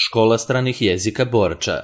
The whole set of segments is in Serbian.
Škola stranih jezika Borča.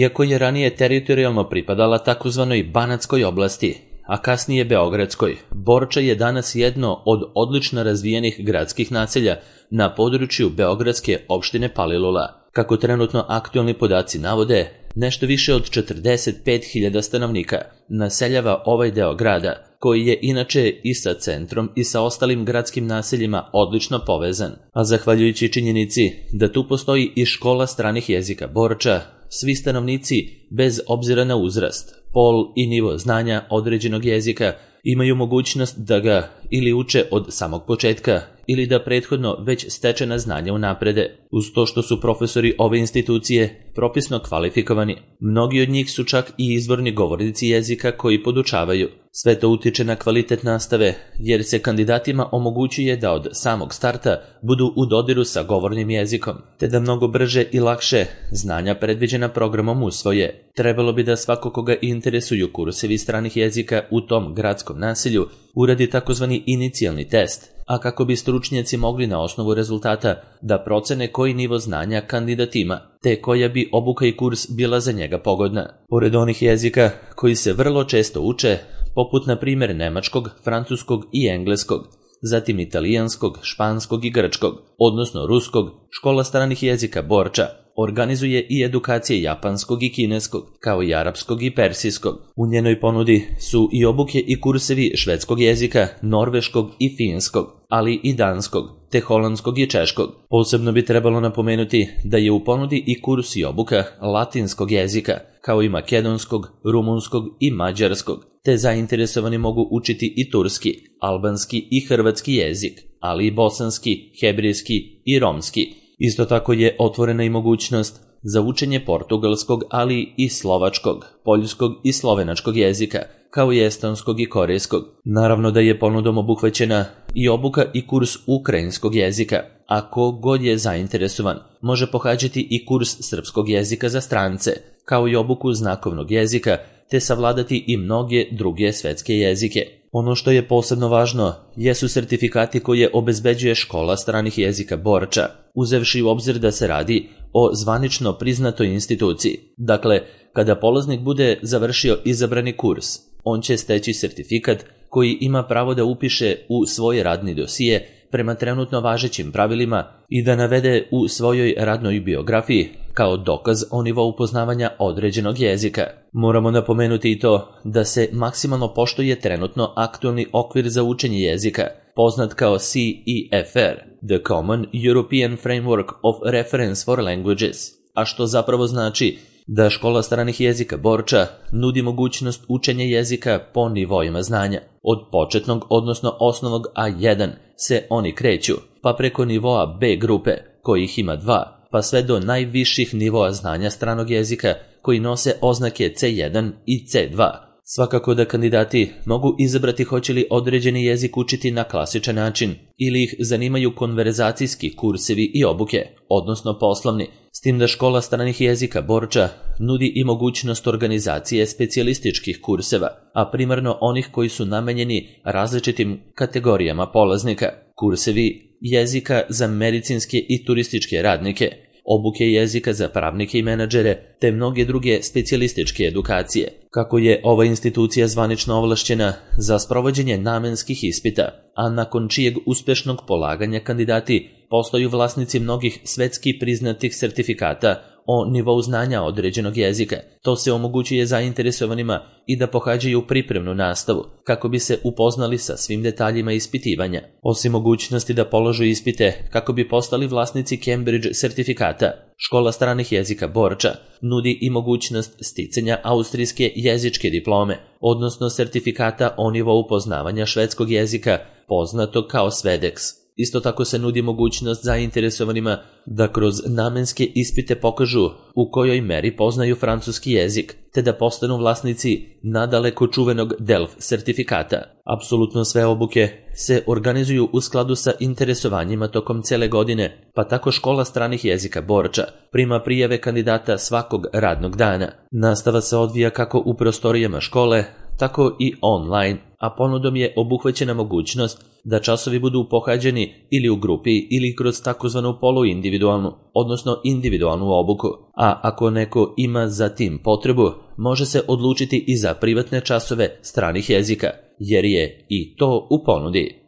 Iako je ranije teritorijalno pripadala takozvanoj Banatskoj oblasti, a kasnije Beogradskoj, Borča je danas jedno od odlično razvijenih gradskih naselja na području beogradske opštine Palilula. Kako trenutno aktualni podaci navode, nešto više od 45.000 stanovnika naseljava ovaj deo grada, koji je inače i sa centrom i sa ostalim gradskim naseljima odlično povezan, a zahvaljujući činjenici da tu postoji i škola stranih jezika Borča, svi stanovnici, bez obzira na uzrast, pol i nivo znanja određenog jezika, imaju mogućnost da ga ili uče od samog početka ili da prethodno već stečena znanja unaprede. Uz to što su profesori ove institucije propisno kvalifikovani, mnogi od njih su čak i izvorni govornici jezika koji podučavaju. Sve to utiče na kvalitet nastave, jer se kandidatima omogućuje da od samog starta budu u dodiru sa govornim jezikom, te da mnogo brže i lakše znanja predviđena programom usvoje. Trebalo bi da svako koga interesuju kursevi stranih jezika u tom gradskom naselju uradi takozvani inicijalni test, a kako bi stručnjaci mogli na osnovu rezultata da procene koji nivo znanja kandidat ima, te koja bi obuka i kurs bila za njega pogodna. Pored onih jezika koji se vrlo često uče, poput na primjer nemačkog, francuskog i engleskog, zatim italijanskog, španskog i grčkog, odnosno ruskog, škola stranih jezika Borča organizuje i edukacije japanskog i kineskog, kao i arapskog i persijskog. U njenoj ponudi su i obuke i kursevi švedskog jezika, norveškog i finskog, ali i danskog, te holandskog i češkog. Posebno bi trebalo napomenuti da je u ponudi i kurs i obuka latinskog jezika, kao i makedonskog, rumunskog i mađarskog, te zainteresovani mogu učiti i turski, albanski i hrvatski jezik, ali i bosanski, hebrejski i romski. Isto tako je otvorena i mogućnost za učenje portugalskog, ali i slovačkog, poljskog i slovenačkog jezika, kao i estonskog i korejskog. Naravno da je ponudom obuhvaćena i obuka i kurs ukrajinskog jezika, a ko god je zainteresovan može pohađati i kurs srpskog jezika za strance, kao i obuku znakovnog jezika, te savladati i mnoge druge svetske jezike. Ono što je posebno važno jesu sertifikati koje obezbeđuje škola stranih jezika Borča, uzevši u obzir da se radi o zvanično priznatoj instituciji. Dakle, kada polaznik bude završio izabrani kurs, on će steći sertifikat koji ima pravo da upiše u svoj radni dosije prema trenutno važećim pravilima i da navede u svojoj radnoj biografiji kao dokaz o nivou poznavanja određenog jezika. Moramo napomenuti i to da se maksimalno poštuje trenutno aktualni okvir za učenje jezika, poznat kao CEFR, The Common European Framework of Reference for Languages, a što zapravo znači da škola stranih jezika Borča nudi mogućnost učenja jezika po nivoima znanja. Od početnog, odnosno osnovnog A1 se oni kreću, pa preko nivoa B grupe, kojih ima 2, pa sve do najviših nivoa znanja stranog jezika koji nose oznake C1 i C2. Svakako da kandidati mogu izabrati hoće li određeni jezik učiti na klasičan način ili ih zanimaju konverzacijski kursevi i obuke, odnosno poslovni, s tim da škola stranih jezika Borča nudi i mogućnost organizacije specijalističkih kurseva, a primarno onih koji su namenjeni različitim kategorijama polaznika, kursevi jezika za medicinske i turističke radnike, obuke jezika za pravnike i menadžere, te mnoge druge specijalističke edukacije. Kako je ova institucija zvanično ovlašćena za sprovođenje namenskih ispita, a nakon čijeg uspešnog polaganja kandidati postaju vlasnici mnogih svetski priznatih sertifikata o nivou znanja određenog jezika, to se omogućuje zainteresovanima i da pohađaju pripremnu nastavu, kako bi se upoznali sa svim detaljima ispitivanja. Osim mogućnosti da polažu ispite kako bi postali vlasnici Cambridge sertifikata, škola stranih jezika Borča nudi i mogućnost sticanja austrijske jezičke diplome, odnosno sertifikata o nivou poznavanja švedskog jezika, poznato kao Svedex. Isto tako se nudi mogućnost zainteresovanima da kroz namenske ispite pokažu u kojoj meri poznaju francuski jezik, te da postanu vlasnici nadaleko čuvenog DELF sertifikata. Apsolutno sve obuke se organizuju u skladu sa interesovanjima tokom cele godine, pa tako škola stranih jezika Borča prima prijave kandidata svakog radnog dana. Nastava se odvija kako u prostorijama škole, tako i online, a ponudom je obuhvaćena mogućnost da časovi budu pohađani ili u grupi ili kroz takozvanu poluindividualnu, odnosno individualnu obuku, a ako neko ima za tim potrebu, može se odlučiti i za privatne časove stranih jezika, jer je i to u ponudi.